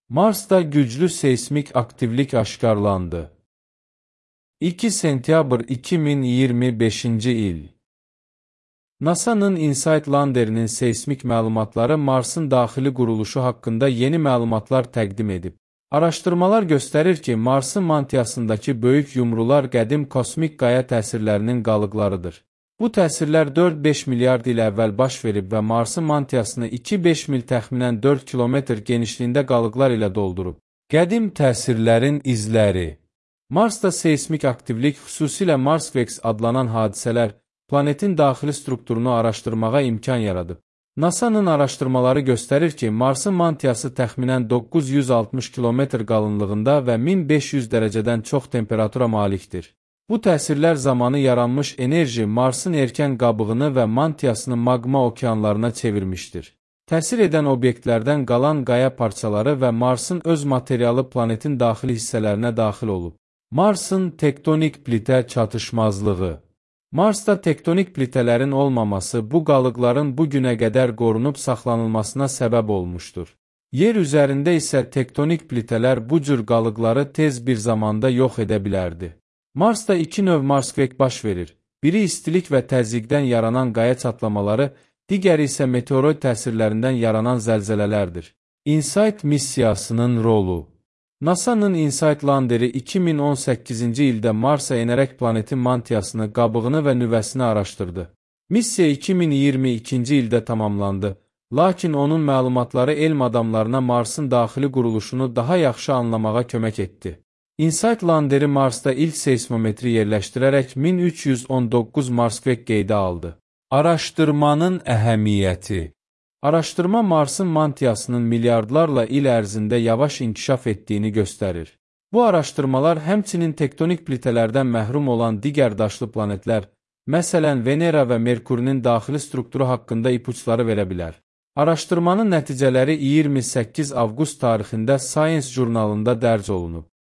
Marsda güclü seysmik aktivlik aşkarlandı. 2 sentyabr 2025-ci il. NASA'nın InSight landerinin seysmik məlumatları Marsın daxili quruluşu haqqında yeni məlumatlar təqdim edib. Araşdırmalar göstərir ki, Marsın mantiyasındakı böyük yumrular qədim kosmik qaya təsirlərinin qalıqlarıdır. Bu təsirlər 4-5 milyard il əvvəl baş verib və Marsın mantiyasını 2-5 mil təxminən 4 kilometr genişliyində qalıqlar ilə doldurub. Qədim təsirlərin izləri. Marsda seysmik aktivlik, xüsusilə Marsvex adlanan hadisələr, planetin daxili strukturunu araşdırmağa imkan yaradıb. NASA'nın araşdırmaları göstərir ki, Marsın mantiyası təxminən 960 kilometr qalınlığında və 1500 dərəcədən çox temperatura malikdir. Bu təsirlər zamanı yaranmış enerji Marsın erkən qabığını və mantiyasını maqma okeanlarına çevirmişdir. Təsir edən obyektlərdən qalan qaya parçaları və Marsın öz materialı planetin daxili hissələrinə daxil olub. Marsın tektonik plitə çatışmazlığı. Marsda tektonik plitələrin olmaması bu qalıqların bu günə qədər qorunub saxlanılmasına səbəb olmuşdur. Yer üzərində isə tektonik plitələr bu cür qalıqları tez bir zamanda yox edə bilərdi. Marsda iki növ Marsveq baş verir. Biri istilik və təzyiqdən yaranan qaya çatlamaları, digəri isə meteoroid təsirlərindən yaranan zəlzələlərdir. InSight missiyasının rolu. NASA'nın InSight landeri 2018-ci ildə Marsa enərək planetin mantiyasını, qabığını və nüvəsini araşdırdı. Missiya 2022-ci ildə tamamlandı, lakin onun məlumatları elm adamlarına Marsın daxili quruluşunu daha yaxşı anlamağa kömək etdi. InSight landeri Marsda ilk seysmometri yerləşdirərək 1319 Marsveq qeydə aldı. Araşdırmanın əhəmiyyəti. Araşdırma Marsın mantiyasının milyardlarla il ərzində yavaş inkişaf etdiyini göstərir. Bu araşdırmalar həmçinin tektonik plitələrdən məhrum olan digər daşlı planetlər, məsələn Venera və Merkurinin daxili strukturu haqqında ipuçları verə bilər. Araşdırmanın nəticələri 28 avqust tarixində Science jurnalında dərc olunub.